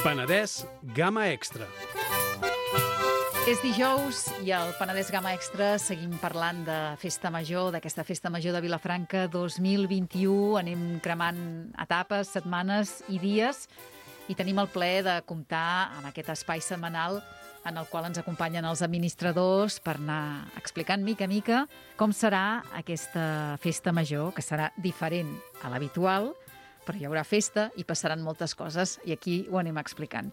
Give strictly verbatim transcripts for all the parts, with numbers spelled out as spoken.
Penedès Gamma Extra. És dijous i al Penedès Gamma Extra seguim parlant de Festa Major, d'aquesta Festa Major de Vilafranca dos mil vint-i-u. Anem cremant etapes, setmanes i dies i tenim el plaer de comptar amb aquest espai setmanal en el qual ens acompanyen els administradors per anar explicant mica a mica com serà aquesta Festa Major, que serà diferent a l'habitual, però hi haurà festa i passaran moltes coses i aquí ho anem explicant.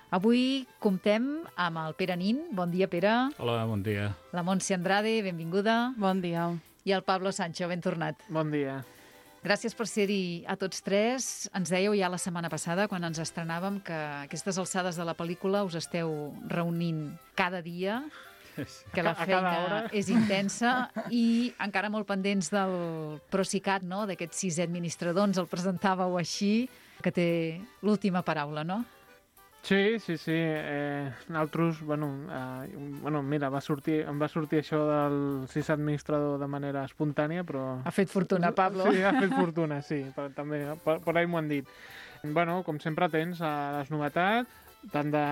Avui comptem amb el Pere Nin. Bon dia, Pere. Hola, bon dia. La Montse Andrade, benvinguda. Bon dia. I el Pablo Sancho, ben tornat. Bon dia. Gràcies per ser-hi a tots tres. Ens dèieu ja la setmana passada, quan ens estrenàvem, que aquestes alçades de la pel·lícula us esteu reunint cada dia, que la feina és intensa i encara molt pendents del Procicat, no? D'aquest sisè administrador, ens el presentàveu així, que té l'última paraula, no? Sí, sí, sí. Eh, nosaltres, bueno, eh, bueno, mira, va sortir, em va sortir això del sis administrador de manera espontània, però... Ha fet fortuna, Pablo. Sí, ha fet fortuna, sí, però també, per, per ahí m'ho han dit. Bueno, com sempre tens a les novetats, tant de,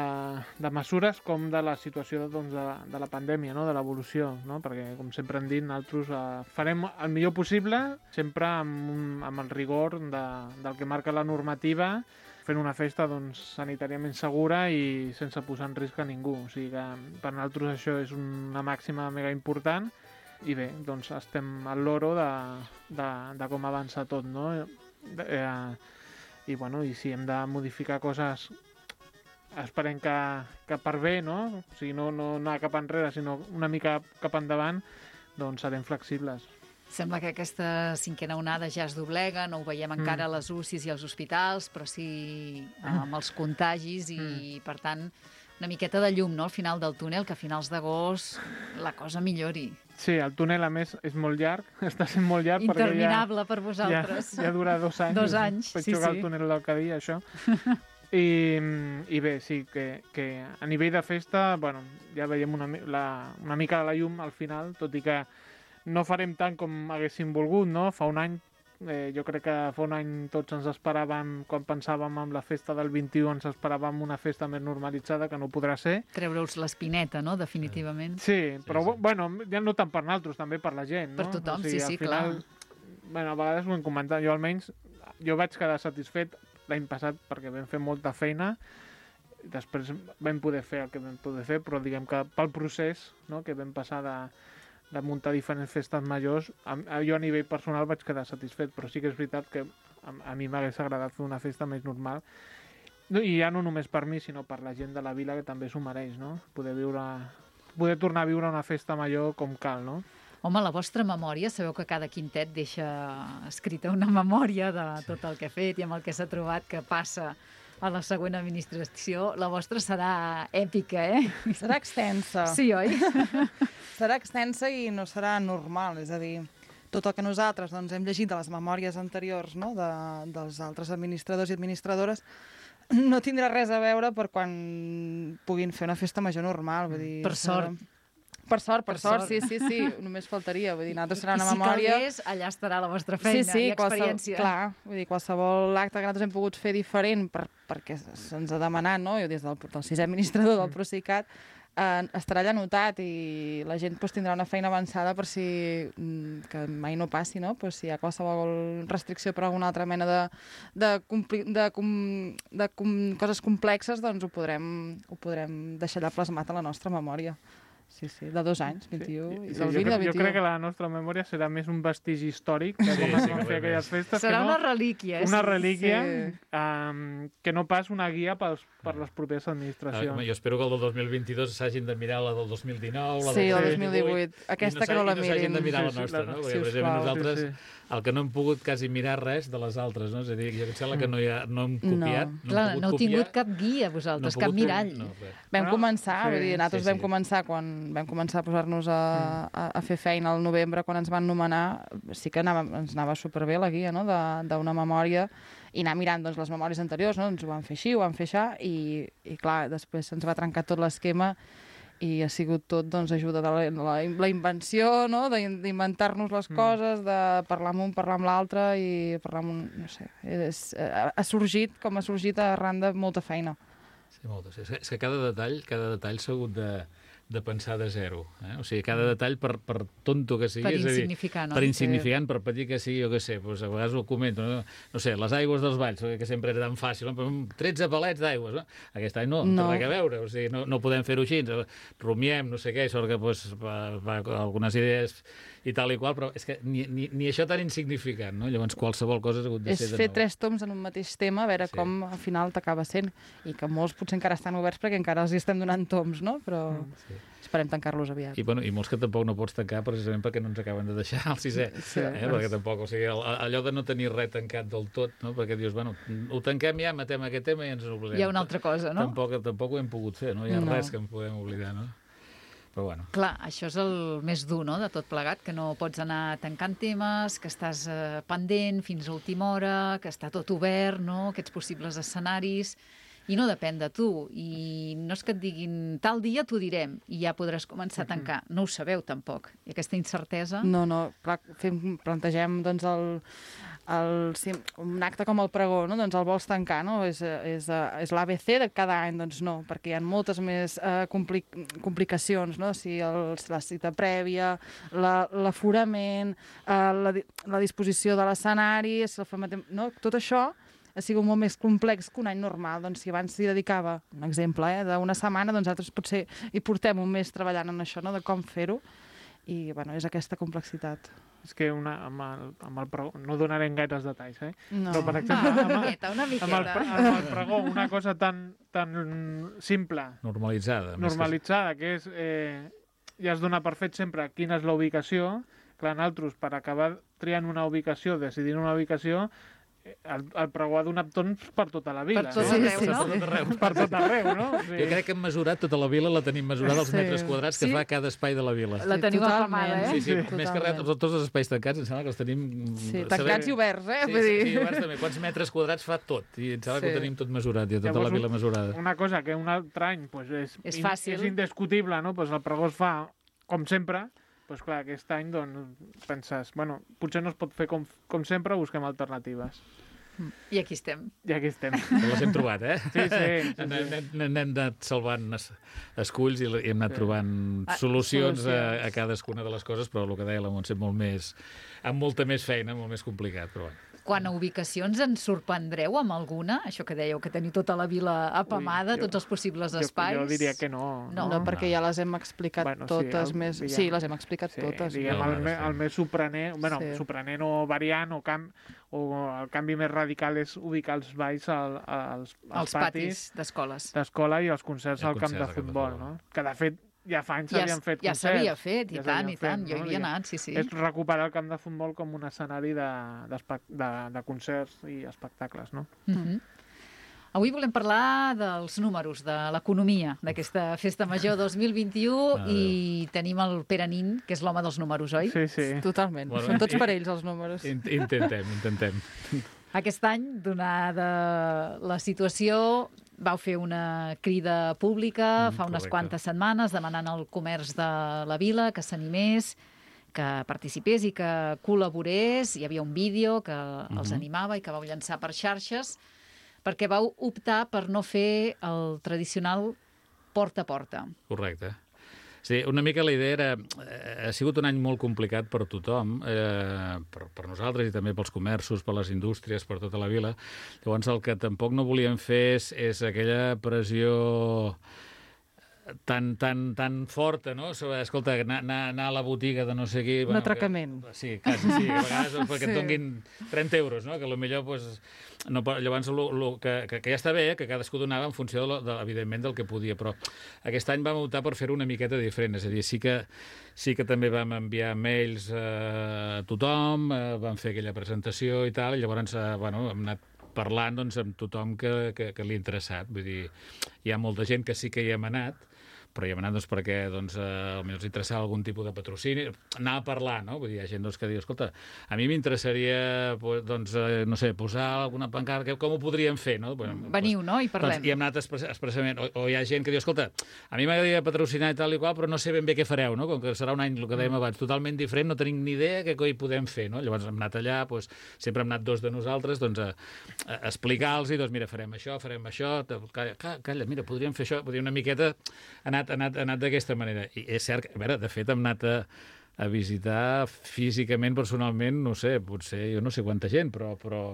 de mesures com de la situació doncs, de, de la pandèmia, no? De l'evolució, no? Perquè, com sempre hem dit, nosaltres eh, farem el millor possible, sempre amb, un, amb el rigor de, del que marca la normativa, fent una festa doncs, sanitàriament segura i sense posar en risc a ningú. O sigui que per nosaltres això és una màxima mega important i bé, doncs estem al loro de, de, de com avança tot, no? Eh, I bueno, i si hem de modificar coses, esperem que, que per bé, no? O sigui, no, no anar cap enrere, sinó una mica cap endavant, doncs serem flexibles. Sembla que aquesta cinquena onada ja es doblega, no ho veiem encara a les U C Is i als hospitals, però sí amb els contagis i, mm. per tant, una miqueta de llum, no?, al final del túnel, que a finals d'agost la cosa millori. Sí, el túnel, a més, és molt llarg, està sent molt llarg. Interminable ja, per vosaltres. Ja, ja dura dos anys. Dos anys, Vaig sí, jugar sí. al túnel del Cadí, això. I, I bé, sí, que, que a nivell de festa, bueno, ja veiem una, la, una mica la llum al final, tot i que no farem tant com haguéssim volgut, no? Fa un any, eh, jo crec que fa un any tots ens esperàvem, quan pensàvem en la festa del vint-i-u, ens esperàvem una festa més normalitzada, que no podrà ser. Treure-us l'espineta, no?, definitivament. Sí, però sí, sí. bueno, ja no tant per nosaltres, també per la gent, no? Per tothom, o sigui, sí, sí, final, clar. Bueno, a vegades ho hem comentat, jo almenys, jo vaig quedar satisfet l'any passat perquè vam fer molta feina, després vam poder fer el que vam poder fer, però diguem que pel procés, no?, que vam passar de de muntar diferents festes majors, a, a, jo a nivell personal vaig quedar satisfet, però sí que és veritat que a, a mi m'hagués agradat fer una festa més normal, no, i ja no només per mi, sinó per la gent de la vila, que també s'ho mereix, no? Poder viure, poder tornar a viure una festa major com cal, no? Home, la vostra memòria, sabeu que cada quintet deixa escrita una memòria de tot el que ha fet i amb el que s'ha trobat que passa a la següent administració. La vostra serà èpica, eh? Serà extensa. Sí, oi? Serà extensa i no serà normal, és a dir, tot el que nosaltres doncs, hem llegit de les memòries anteriors, no?, de, dels altres administradors i administradores no tindrà res a veure per quan puguin fer una festa major normal. Vull dir, per sort. Serà... Per sort, per, per sort, sort, sí, sí, sí, només faltaria. Vull dir, nosaltres serà una I si memòria... calgués, allà estarà la vostra feina sí, sí, i experiència. Clar, vull dir, qualsevol acte que nosaltres hem pogut fer diferent per, perquè se'ns ha demanat, no?, jo des del, del sisè administrador del Procicat, eh, estarà allà anotat i la gent pues, tindrà una feina avançada per si, que mai no passi, no?, pues, si hi ha qualsevol restricció per alguna altra mena de, de, compli, de, com, de com, coses complexes, doncs ho podrem, ho podrem deixar allà plasmat a la nostra memòria. Sí, sí, de dos anys, vint-i-u, sí, i sí, del jo, vint i del vint-i-u. Jo crec que la nostra memòria serà més un vestigi històric de com sí, es sí, van fer aquelles festes. Serà que no, una relíquia. Una sí. relíquia sí. um, que no pas una guia pels, per les properes administracions. Ah, jo espero que el del dos mil vint-i-dos s'hagin de mirar la del dos mil dinou, la sí, del dos mil divuit. Aquesta no que no la mirin. I no s'hagin de mirar Sí, la sí, nostra, la- no? sí, Perquè, per exemple, sisplau, nosaltres, sí, sí. el que no hem pogut quasi mirar res de les altres, no? És a dir, jo em sembla que no, hi ha, no hem copiat, No. no, Clar, hem no heu pogut tingut copiar, cap guia, vosaltres, no hem cap pogut- mirall. No, res. Vam Bueno, començar, sí, vull dir, nosaltres sí, sí. vam començar quan vam començar a posar-nos a, a, a fer feina al novembre, quan ens van nomenar, sí que anava, ens anava superbé la guia, no?, de- d'una memòria, i anar mirant doncs, les memòries anteriors, no?, ens ho van fer així, ho van fer això, i, i clar, després se'ns va trencar tot l'esquema i ha sigut tot doncs, ajuda de la, la, la invenció, no?, d'inventar-nos les coses, de parlar amb un, parlar amb l'altre i parlar amb un... no sé, és, ha, ha sorgit com ha sorgit arran de molta feina. Sí, moltes. És que, és que cada detall, cada detall s'ha hagut de, de pensar de zero. Eh? O sigui, cada detall, per, per tonto que sigui... Per és a dir, insignificant, no? Per insignificant, per petit que sigui, jo què sé, doncs a vegades ho comento, no, no sé, les aigües dels valls, que sempre era tan fàcil, no? tretze palets d'aigües, no? Aquest any no, no, No. té res a veure, o sigui, no, no podem fer-ho així, rumiem, no sé què, sort que doncs, va, va, algunes idees i tal i qual, però és que ni, ni, ni això tan insignificant, no? Llavors qualsevol cosa ha hagut de És ser de fer nou. tres toms en un mateix tema, a veure Sí. sí. com al final t'acaba sent. I que molts potser encara estan oberts perquè encara els hi estem donant toms, no? Però Sí. esperem tancar-los aviat. I, bueno, I molts que tampoc no pots tancar precisament perquè no ens acaben de deixar al sisè. Sí. Eh? Perquè tampoc, o sigui, el, allò de no tenir res tancat del tot, no? Perquè dius, bueno, ho tanquem ja, matem aquest tema i ens n'oblidem. Hi ha una altra cosa, no? Tampoc, tampoc ho hem pogut fer, no? Hi ha No. res que ens podem oblidar, no? Però bueno. Clar, això és el més dur, no?, de tot plegat, que no pots anar tancant temes, que estàs eh, pendent fins a última hora, que està tot obert, no?, aquests possibles escenaris, i no depèn de tu. I no és que et diguin tal dia t'ho direm i ja podràs començar a tancar. No ho sabeu, tampoc. I aquesta incertesa... No, no, clar, fem, plantegem doncs, el, el, sí, un acte com el pregó, no? Doncs el vols tancar, no? És, és, és l'A B C de cada any, doncs no, perquè hi ha moltes més eh, compli complicacions, no? Si el, la cita prèvia, l'aforament, la, eh, la, la disposició de l'escenari, si el fem, no? Tot això ha sigut molt més complex que un any normal. Doncs si abans s'hi dedicava, un exemple, eh, d'una setmana, doncs altres potser hi portem un mes treballant en això, no?, de com fer-ho. I, bueno, és aquesta complexitat. És que una, amb, el, amb el pregó, no donarem gaires detalls, eh? No. Però, per Va, exemple, una amb, el- miqueta, una amb, el, miqueta. pre- amb el pregó, una cosa tan, tan simple, Normalitzada. més que- normalitzada, que és, eh, ja es dona per fet sempre quina és la ubicació. Clar, nosaltres, per acabar triant una ubicació, decidint una ubicació, eh, el, el pregó ha donat torns per tota la vila. Per tot no? arreu, no? Per tot arreu. Per tot arreu, no? Sí. Jo crec que hem mesurat tota la vila, la tenim mesurada els Sí. metres quadrats que Sí? fa cada espai de la vila. La Sí, teniu totalment. apamada, eh? Sí, sí, Sí, més que res, totalment. tots els espais tancats, em sembla que els tenim... Sí, sabem- tancats i oberts, eh? Sí, Vull sí, dir... sí, oberts també. Quants metres quadrats fa tot? I em sembla que Sí. ho tenim tot mesurat, i tota Llavors, la vila mesurada. Una cosa que un altre any pues, és, És in- fàcil. és indiscutible, no? Pues el pregó es fa com sempre, pues, clar, aquest any doncs, penses, bueno, potser no es pot fer com, com sempre, busquem alternatives. I aquí estem. I aquí estem. Que les hem trobat, eh? Sí, sí. sí, sí. N'hem n'hem anat salvant es- esculls i l- i hem anat Sí. trobant Ah, solucions a, solucions. a cadascuna de les coses, però el que deia la Montse, molt més, amb molta més feina, molt més complicat, però bueno. Quan a ubicacions ens sorprendreu amb alguna? Això que dèieu, que teniu tota la vila apamada, Ui, jo- tots els possibles Jo, espais. jo diria que no. No. No, perquè ja les hem explicat Bueno, sí, totes el- més... diguem- Sí, les hem explicat Sí, totes. diguem, No, el, no, me, sí. el més sorprenent, bueno, Sí. sorprenent o variant o, cam, o el canvi més radical és ubicar els balls al, als, als Els patis d'escoles. d'escola i els concerts I al camp concerts de al camp de futbol, futbol. no? Que de fet ja fa anys Ja, s'havien fet ja concerts. s'havia fet, i Ja tant, s'havien i tant. fet, Jo hi no? havia Diguem, anat, sí, sí. És recuperar el camp de futbol com un escenari de, de, de, de concerts i espectacles, no? Mhm. Avui volem parlar dels números, de l'economia d'aquesta Festa Major dos mil vint-i-u Ah, i tenim el Pere Nin, que és l'home dels números, oi? Sí, sí. Totalment. Bueno, Són tots i- per ells, els números. In- Intentem, intentem. Aquest any, donada la situació, vau fer una crida pública Mm, fa unes correcte. quantes setmanes demanant al comerç de la vila que s'animés, que participés i que col·laborés. Hi havia un vídeo que els Mhm. animava i que vau llançar per xarxes, perquè vau optar per no fer el tradicional porta a porta. Correcte. Sí, una mica la idea era... Eh, ha sigut un any molt complicat per tothom, eh, per, per nosaltres i també pels comerços, per les indústries, per tota la vila. Llavors, el que tampoc no volíem fer és, és aquella pressió tan, tan, tan forta, no? Sobre, escolta, anar, anar, anar a la botiga de no sé qui... Un atracament. Que, sí, quasi, sí. A vegades perquè Sí. et donguin trenta euros, no? Que potser, pues, no, pot- llavors, lo, lo, que, que, que ja està bé, que cadascú donava en funció, de, lo- de, evidentment, del que podia, però aquest any vam optar per fer-ho una miqueta diferent, és a dir, sí que, sí que també vam enviar mails eh, a tothom, eh, vam fer aquella presentació i tal, i llavors eh, bueno, hem anat parlant doncs, amb tothom que, que, que li ha interessat. Vull dir, hi ha molta gent que sí que hi hem anat, però hi hem anat doncs, perquè doncs, eh, potser els interessava algun tipus de patrocini, anar a parlar, no? Vull dir, hi ha gent doncs, que diu, escolta, a mi m'interessaria, doncs, eh, no sé, posar alguna pancarta, com ho podríem fer, no? Veniu, no? I parlem. Doncs, I hem anat expressament, o, o hi ha gent que diu, escolta, a mi m'agradaria patrocinar i tal i qual, però no sé ben bé què fareu, no? Com que serà un any, el que dèiem abans, totalment diferent, no tenim ni idea què coi podem fer, no? Llavors hem anat allà, doncs, sempre hem anat dos de nosaltres, doncs, a, a explicar-los, doncs, mira, farem això, farem això, calla, calla, mira, podríem fer això, podríem una miqueta, ha anat, ha anat, ha anat d'aquesta manera. I és cert, a veure, de fet, hem anat a, a visitar físicament, personalment, no sé, potser, jo no sé quanta gent, però, però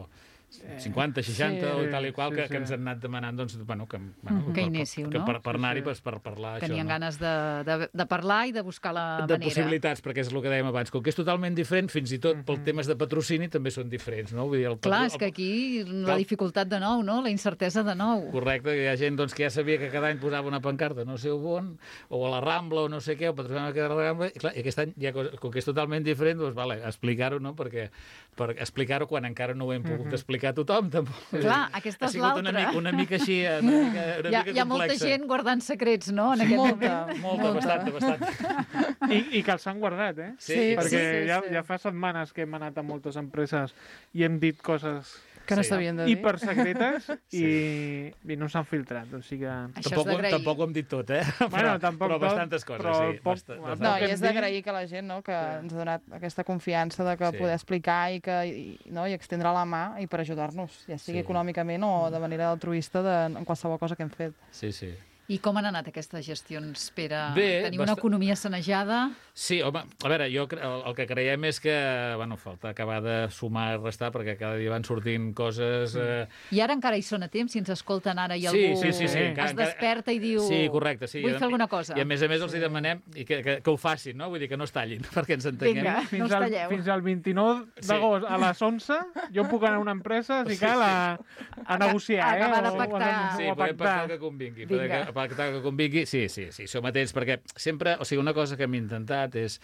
cinquanta, seixanta sí, o tal i qual, sí, que, sí. que ens han anat demanant doncs, bueno, que, bueno, mm, que inéssiu, per, no? per, per anar-hi sí, sí. per, per parlar Tenien això, ganes no? de, de, de parlar i de buscar la de manera. De possibilitats, perquè és el que dèiem abans. Com que és totalment diferent, fins i tot mm -hmm. pel temes de patrocini també són diferents, no? Vull dir, el Clar, és que aquí la dificultat de nou, no? La incertesa de nou. Correcte, hi ha gent doncs, que ja sabia que cada any posava una pancarta no sé on, o a la Rambla o no sé què, o patrocinava la Rambla, i, clar, i aquest any, ja, com que és totalment diferent, doncs, vale, explicar-ho, no? Perquè per explicar-ho quan encara no ho hem pogut mm -hmm. explicar a tothom, tampoc. Clar, aquesta és l'altra. Una, mica, una mica així, una mica, una hi ha, mica hi ha molta gent guardant secrets, no?, en aquest molta, moment. Molta, molta, bastant, bastant. I, I que els han guardat, eh? Sí, sí perquè sí, sí, ja, sí. ja fa setmanes que hem anat a moltes empreses i hem dit coses que no sí. s'havien de dir. hipersecretes sí. i, i no s'han filtrat. O sigui que... Això tampoc, és d'agrair. tampoc ho hem dit tot, eh? Bueno, però, tampoc però tot, bastantes coses, però sí. poc, Bastant, no, bastant. No, i hem és d'agrair que la gent no, que Sí. ens ha donat aquesta confiança de que Sí. poder explicar i, que, i, no, i extendre la mà i per ajudar-nos, ja sigui Sí. econòmicament o de manera altruista de, en qualsevol cosa que hem fet. Sí, sí. I com han anat aquestes gestions, Pere? Bé, Teniu bast... una economia sanejada? Sí, home, a veure, jo el, el que creiem és que, bueno, falta acabar de sumar i restar perquè cada dia van sortint coses... Eh... I ara encara hi són a temps, si ens escolten ara i Sí, algú sí, sí, sí, encara- es desperta i diu Sí, correcte, sí. vull I- fer alguna cosa. I a més a més els hi demanem i que, que, que ho facin, no? Vull dir que no es tallin, perquè ens entenguem. Vinga. Fins, No us al, talleu. fins al vint-i-nou d'agost a les onze jo puc anar a una empresa si cal a, a negociar, a acabar eh? de pactar. Sí, o, o a podem pactar pactar. el que convingui. Vinga. Podem pactar el que convingui, sí, sí, sí, som atents, perquè sempre, o sigui, una cosa que hem intentat és,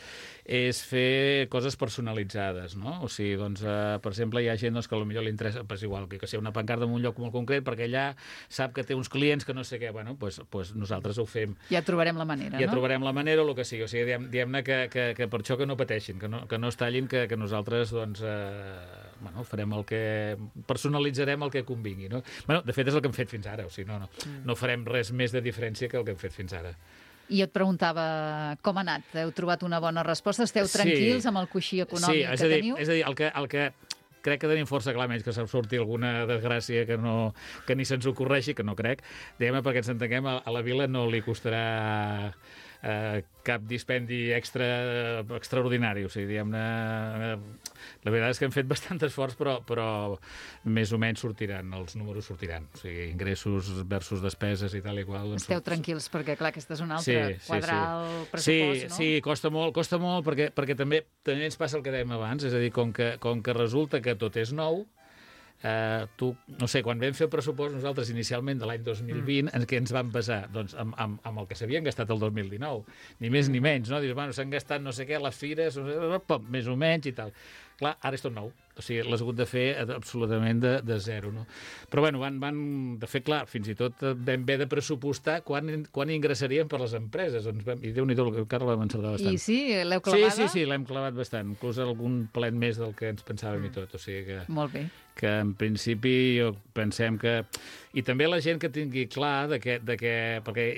és fer coses personalitzades, no? O sigui, doncs, eh, per exemple, hi ha gent doncs, que potser li interessa, pues, igual, que, que sigui una pancarta en un lloc molt concret, perquè allà sap que té uns clients que no sé què, bueno, pues, pues nosaltres ho fem. Ja trobarem la manera, Ja no? trobarem la manera o el que sigui. O sigui, diem, diem-ne que, que, que per això que no pateixin, que no, que no es tallin, que, que nosaltres, doncs, eh, bueno, farem el que... personalitzarem el que convingui, no? Bueno, de fet, és el que hem fet fins ara, o sigui, no, no, no farem res més de diferència que el que hem fet fins ara. I jo et preguntava com ha anat. Heu trobat una bona resposta? Esteu tranquils Sí. amb el coixí econòmic sí, és que a dir, teniu? És a dir, el que, el que crec que tenim força clar, menys que se'm surti alguna desgràcia que, no, que ni se'ns ocorreixi, que no crec, diguem-ne, perquè ens entenguem, a, a la vila no li costarà eh, cap dispendi extra extraordinari. O sigui, diguem-ne, eh, la veritat és que hem fet bastant esforç, però, però més o menys sortiran, els números sortiran. O sigui, ingressos versus despeses i tal i qual. Doncs, Esteu tranquils, perquè clar, aquesta és una Sí, altra sí, quadrar sí. el pressupost, Sí, no? sí, costa molt, costa molt perquè, perquè també, també ens passa el que dèiem abans, és a dir, com que, com que resulta que tot és nou, eh, tu, no sé, quan vam fer el pressupost nosaltres inicialment de l'any dos mil vint, en què ens vam basar? Doncs amb, amb, amb el que s'havien gastat el dos mil dinou, ni més ni menys, no? Dius, bueno, s'han gastat no sé què a les fires, no sé, pop, més o menys i tal. Clar, ara és tot nou. O sigui, l'has hagut de fer absolutament de, de zero, no? Però, bueno, van, van... De fet, clar, fins i tot vam haver de pressupostar quan, quan ingressarien per les empreses. Doncs vam, I Déu-n'hi-do, el Carles vam encertar bastant. I sí, l'heu Sí, clavada? sí, sí, l'hem clavat bastant. Inclús algun plet més del que ens pensàvem mm. i tot. O sigui que, Molt bé. que en principi jo pensem que... I també la gent que tingui clar de que... De que perquè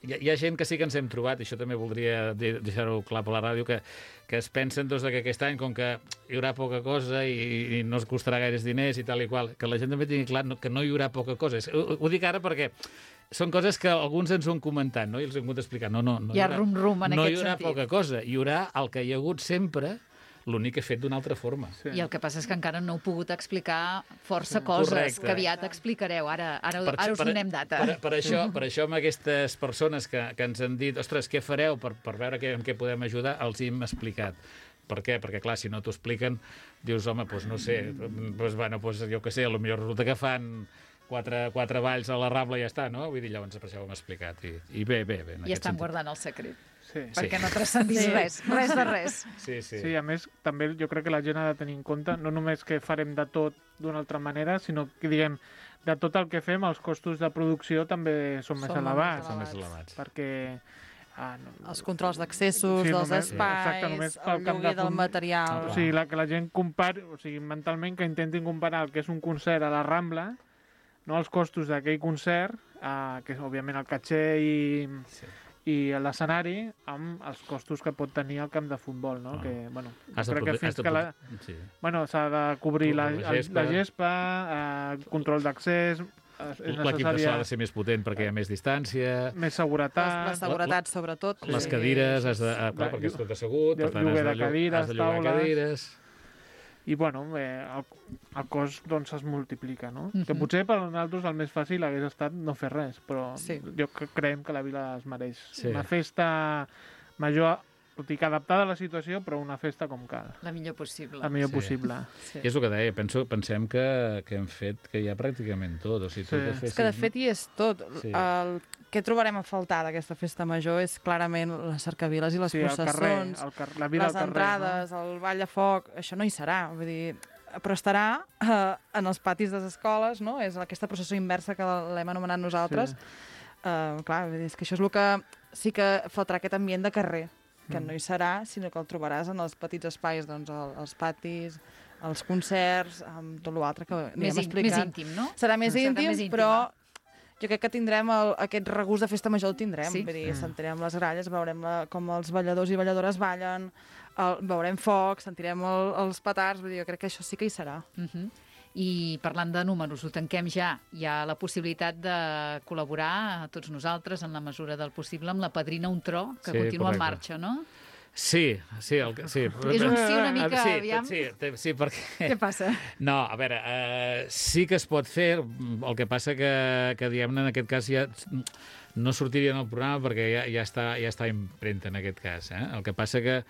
hi ha, hi ha gent que sí que ens hem trobat, i això també voldria deixar-ho clar per la ràdio, que, que es pensen doncs, que aquest any, com que hi haurà poca cosa i, i no es costarà gaires diners i tal i qual, que la gent també tingui clar que no hi haurà poca cosa. Ho, ho dic ara perquè són coses que alguns ens ho han comentat, no? I els hem hagut d'explicar. No, no, no Hi ha haurà, rum-rum en no aquest hi haurà sentit. poca cosa. Hi haurà el que hi ha hagut sempre, l'únic que he fet d'una altra forma. Sí. I el que passa és que encara no heu pogut explicar força coses Correcte. que aviat explicareu. Ara, ara, Per, ara us per, donem data. Per, per, això, per això amb aquestes persones que, que ens han dit ostres, què fareu per, per veure què, en què podem ajudar, els hi hem explicat. Per què? Perquè, clar, si no t'ho expliquen, dius, home, doncs no sé, doncs, bueno, doncs, jo què sé, potser resulta que fan quatre, quatre balls a la Rambla i ja està, no? Vull dir, llavors per això ho hem explicat. I, i bé, bé, bé. I estan guardant el secret. Sí. perquè no transcendís Sí. res, res de res. Sí, sí. Sí, a més, també jo crec que la gent ha de tenir en compte no només que farem de tot d'una altra manera, sinó que, diguem, de tot el que fem, els costos de producció també són més Són elevats. Són més elevats. Perquè... Ah, no, Els controls d'accessos, Sí, dels només- espais, exacte, només pel el camp de lloguer del fum- material... O sigui, la, que la gent compari, o sigui, mentalment que intentin comparar el que és un concert a la Rambla, no els costos d'aquell concert, eh, que és òbviament el caché i, Sí. i l'escenari, amb els costos que pot tenir el camp de futbol, no? Ah. Que, bueno, Has de crec que prote- has fins de que la... prote- Sí. Bueno, s'ha de cobrir la, La la gespa. gespa, la gespa eh, control d'accés, eh, és L'equip de so necessària ha de ser més potent perquè hi ha més distància, més La, seguretat, la seguretat, sobretot. les Sí. cadires, has de, ah, clar, La- perquè és tot assegut, per tant, has lloguer de, de llo- cadires, has de llogar taules. cadires... i bueno, eh, el, el cost doncs es multiplica, no? Mhm. Que potser per nosaltres el més fàcil hagués estat no fer res, però Sí. jo cre- creiem que la vila es mereix Sí. una festa major, tot i que adaptada a la situació, però una festa com cal, La millor possible. la millor Sí. possible. Sí. I és el que deia, penso, pensem que, que hem fet que hi ha pràcticament tot. O sigui, tot Sí. de És que, de fet, hi és tot. Sí. El que trobarem a faltar d'aquesta festa major és clarament les cercaviles i les sí, el carrer, processons, el car la vila les al carrer, entrades, el ball de foc, això no hi serà. Vull dir, però estarà eh, en els patis de les escoles, no? És aquesta processó inversa que l'hem anomenat nosaltres. Sí. Eh, clar, vull dir, és que això és el que sí que faltarà aquest ambient de carrer, que Mm. no hi serà, sinó que el trobaràs en els petits espais, doncs, el, els patis, els concerts, amb tot l'altre que anirem Més, in, més explicant. íntim, no? Serà més Serà íntim, més íntima. però jo crec que tindrem el, aquest regust de festa major, el tindrem. Sí. Vull dir, Mm. sentirem les gralles, veurem la, com els balladors i balladores ballen, el, veurem foc, sentirem el, els petards, vull dir, jo crec que això sí que hi serà. Uh -huh. I parlant de números, ho tanquem ja. Hi ha la possibilitat de col·laborar, tots nosaltres, en la mesura del possible, amb la Padrina Un Tro, que Sí, continua en correcte. marxa, no? Sí, sí, el, que- sí. És un sí una mica, sí, aviam. Sí, sí, sí, perquè... Què passa? No, a veure, eh, sí que es pot fer, el que passa que, que diguem-ne, en aquest cas ja no sortiria en el programa perquè ja, ja, està, ja està impremta en aquest cas. Eh? El que passa que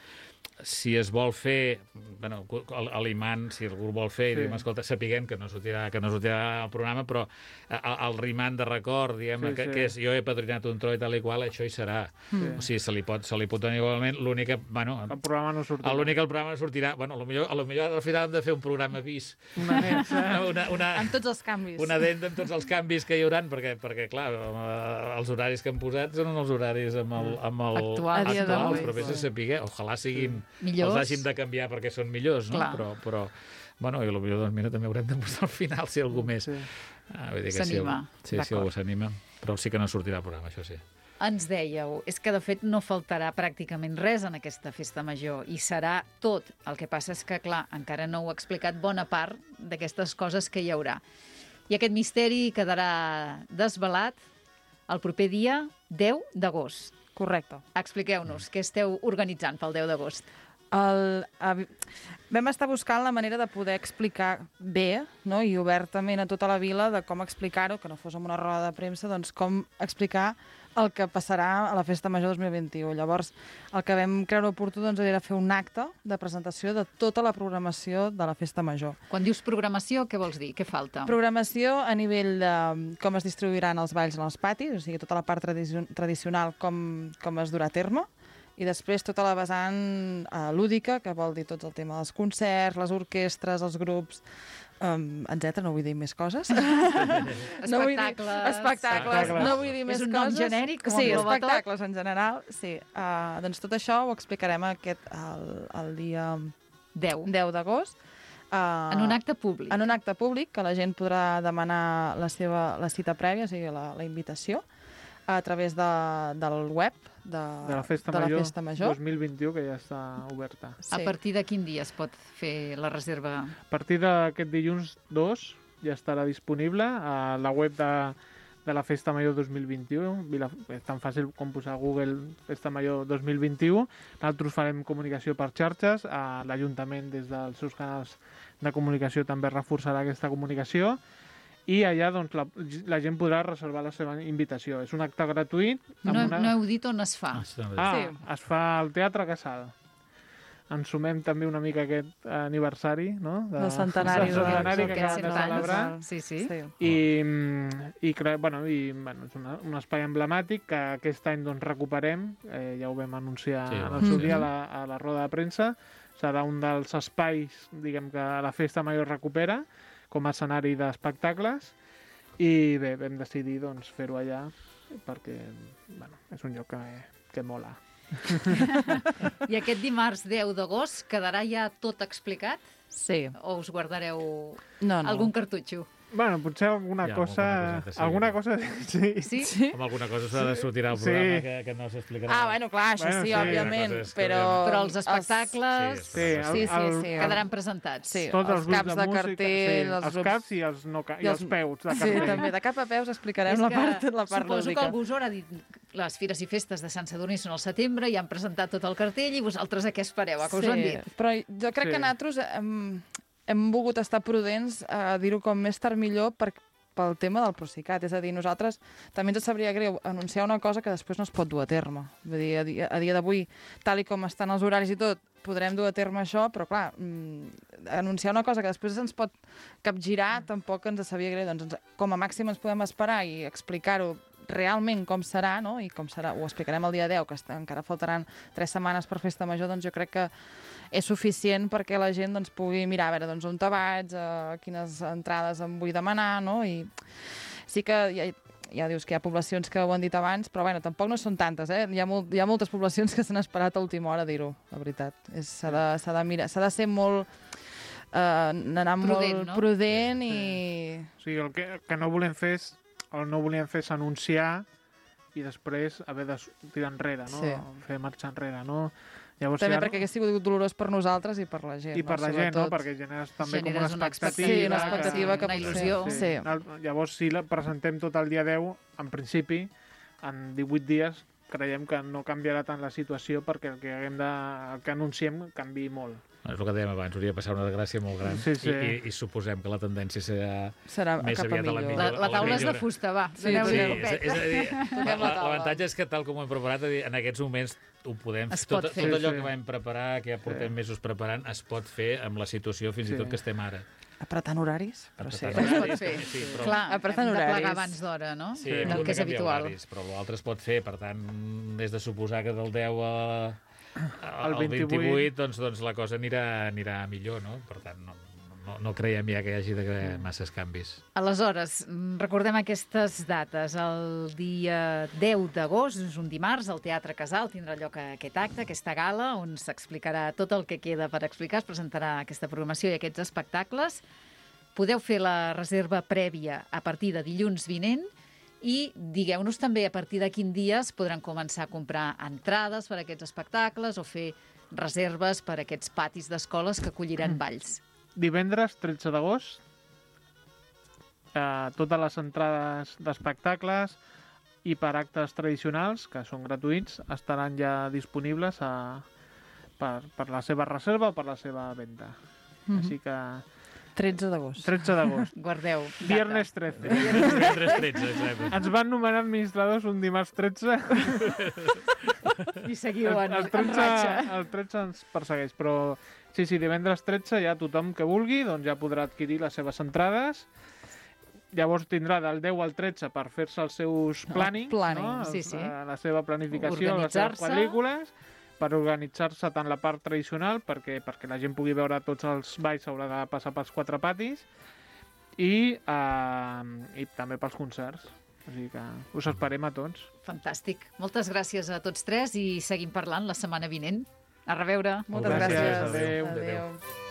si es vol fer, bueno, a l'imant, si algú vol fer, Sí. sí. diguem, escolta, sapiguem que no sortirà, que no sortirà al programa, però el, el rimant de record, diguem, Sí, que, sí. que és jo he padrinat un tro i tal i qual, això hi serà. Sí. O sigui, se li pot, se li pot donar igualment, l'únic que, bueno, El programa no sortirà. l'únic que el programa sortirà, bueno, potser, a lo millor al final hem de fer un programa bis, Una nexa. una, una, En tots els canvis. una dent amb tots els canvis que hi hauran, perquè, perquè clar, eh, els horaris que hem posat són els horaris amb el, amb el Actuals. A dia d'avui. però vés a saber, ojalà siguin, Millors. els hàgim de canviar perquè són millors, no? Clar. Però, però, bueno, i potser, doncs, mira, també haurem de posar al final, si algú més... Sí. Ah, vull dir que S'anima. Si, sí, si algú s'anima, però sí que no sortirà al programa, això sí. Ens dèieu, és que de fet no faltarà pràcticament res en aquesta festa major i serà tot. El que passa és que, clar, encara no heu explicat bona part d'aquestes coses que hi haurà. I aquest misteri quedarà desvelat el proper dia deu d'agost. Correcte. Expliqueu-nos què esteu organitzant pel deu d'agost. El, eh, vam estar buscant la manera de poder explicar bé, no? I obertament a tota la vila de com explicar-ho, que no fos amb una roda de premsa, doncs com explicar el que passarà a la Festa Major dos mil vint-i-u. Llavors, el que vam creure oportú doncs, era fer un acte de presentació de tota la programació de la Festa Major. Quan dius programació, què vols dir? Què falta? Programació a nivell de com es distribuiran els balls en els patis, o sigui, tota la part tradicio tradicional com, com es durà a terme, i després tota la vessant uh, lúdica, que vol dir tot el tema dels concerts, les orquestres, els grups, um, etcètera. No vull dir més coses. No vull dir- Espectacles. Espectacles. No vull dir més És un coses. nom genèric, com Sí, engloba tot? espectacles en general. Sí. Uh, doncs tot això ho explicarem aquest, el, el dia deu. deu d'agost. Uh, En un acte públic. en un acte públic, que la gent podrà demanar la seva la cita prèvia, o sigui, la, la invitació, a través de, del web de, De la Festa de la Major, Festa Major. dos mil vint-i-u, que ja està oberta. A partir de quin dia es pot fer la reserva? A partir d'aquest dilluns dos ja estarà disponible a la web de, de la Festa Major dos mil vint-i-u. Vila, és tan fàcil com posar a Google Festa Major dos mil vint-i-u. Nosaltres farem comunicació per xarxes. A l'Ajuntament, des dels seus canals de comunicació, també reforçarà aquesta comunicació. I allà doncs, la, la gent podrà reservar la seva invitació. És un acte gratuït. amb No, una... no heu dit on es fa. Ah, sí, també. Ah, Sí. es fa al Teatre Casal. ens sumem també una mica a aquest aniversari, no? Del centenari, del centenari que Aquests acabem de cent anys. celebrar. Sí, sí. Sí. I, i, cre- bueno, i bueno, és una, un espai emblemàtic que aquest any doncs, recuperem, eh, ja ho vam anunciar Sí, en ho el seu vam dia a fer. la, a la roda de premsa. Serà un dels espais, diguem, que la Festa Major recupera com a escenari d'espectacles i bé, vam decidir doncs, fer-ho allà perquè bueno, és un lloc que, que mola. I aquest dimarts deu d'agost quedarà ja tot explicat? Sí. O us guardareu No, no. algun cartutxo? Bueno, potser alguna Ja, cosa... alguna coseta, sí. Alguna cosa, sí. Sí? Sí? Amb alguna cosa s'ha de sortir al Sí. programa que, que no s'explicarà. Ah, bueno, clar, això Bueno, sí, sí, òbviament, una cosa és que però... Però els espectacles Sí, Sí, el, Sí, sí, el, sí. quedaran presentats. Sí. tots els els grups caps de, de música, cartell, sí, els els grups- caps i els, no, ca- i i els, els- peus de Sí, cartell. també, de cap a peus explicarem És la que part, la part suposo lúdica. que el Gusora ha dit les fires i festes de Sant Sadurní són al setembre i han presentat tot el cartell i vosaltres a què espereu? A què us ho han dit? Però jo crec Sí. que nosaltres hem, hem volgut estar prudents a dir-ho com més tard millor per, pel tema del Procicat. És a dir, nosaltres també ens sabria greu anunciar una cosa que després no es pot dur a terme. Vull dir, a dia, a dia d'avui, tal i com estan els horaris i tot, podrem dur a terme això, però clar, mm, anunciar una cosa que després ens pot capgirar tampoc ens sabia greu. Doncs ens, com a màxim ens podem esperar i explicar-ho realment com serà, no? I com serà, ho explicarem el dia deu, que està, encara faltaran tres setmanes per Festa Major, doncs jo crec que és suficient perquè la gent doncs, pugui mirar a veure doncs, on te vaig, eh, quines entrades em vull demanar, no? I sí que ja, ja dius que hi ha poblacions que ho han dit abans, però bueno, tampoc no són tantes, eh? Hi ha, molt, hi ha moltes poblacions que s'han esperat a última hora a dir-ho, la veritat. És- S'ha de, s'ha de mirar, s'ha de ser molt... Eh, anar Prudent, molt no? prudent i... O sigui, el que, que no volem fer és, el no volem fer és anunciar i després haver de tirar enrere, no? Sí. Fer marxar enrere, no? Llavors, També ja, perquè hagués sigut dolorós per nosaltres i per la gent. I per no? la gent, no? Sobretot. Perquè generes també Generes com una una expectativa. Sí, una expectativa que una potser- il·lusió. Sí. Sí. El- Llavors, si la presentem tot el dia deu, en principi, en divuit dies, creiem que no canviarà tant la situació perquè el que haguem de, el que anunciem canvi molt. És el que dèiem abans, hauria de passar una desgràcia molt gran. Sí, sí. I, i, I suposem que la tendència serà Serà més cap a aviat a la millor. millor. La, la a la taula és de millora. fusta, va. Sí, Doneu-li Sí, un és, copet. és a dir, Toquem la taula. l'avantatge és que tal com ho hem preparat, en aquests moments ho podem Es fer. pot Tot, fer. tot allò Sí, sí. que vam preparar, que ja portem Sí. mesos preparant, es pot fer amb la situació fins Sí. i tot que estem ara. Apretant horaris, però sí. Apretant Es pot horaris, fer. sí, però- Clar, Apretant hem de horaris. plegar abans d'hora, no? Sí, Sí. hem Del de que és canviar habitual. horaris, però l'altre es pot fer, per tant, és de suposar que del deu a, al vint-i-vuit. vint-i-vuit doncs, doncs la cosa anirà, anirà millor, no? Per tant, no, no, no creiem ja que hi hagi de masses canvis. Aleshores, mm, recordem aquestes dates. El dia deu d'agost, és un dimarts, al Teatre Casal tindrà lloc aquest acte, aquesta gala, on s'explicarà tot el que queda per explicar, es presentarà aquesta programació i aquests espectacles. Podeu fer la reserva prèvia a partir de dilluns vinent i digueu-nos també a partir de quin dia es podran començar a comprar entrades per a aquests espectacles o fer reserves per a aquests patis d'escoles que acolliran balls. Divendres, tretze d'agost, eh, totes les entrades d'espectacles i per actes tradicionals, que són gratuïts, estaran ja disponibles a, per, per la seva reserva o per la seva venda. Mhm. Així que tretze d'agost. tretze d'agost. Guardeu. data. Viernes tretze. Divendres tretze, exacte. Ens van nomenar administradors un dimarts tretze. I seguiu en, el, en tretze, ratxa. el tretze ens persegueix, però sí, sí, divendres tretze ja tothom que vulgui doncs ja podrà adquirir les seves entrades. Llavors tindrà del deu al tretze per fer-se els seus plannings, planning, no? sí, sí. Els- la seva planificació, les seves Organitzar-se. pel·lícules, per organitzar-se tant la part tradicional, perquè perquè la gent pugui veure tots els balls s'haurà de passar pels quatre patis, i, eh, i també pels concerts. O sigui que us esperem a tots. Fantàstic. Moltes gràcies a tots tres i seguim parlant la setmana vinent. A reveure. Moltes Gràcies, gràcies. adéu. Adéu.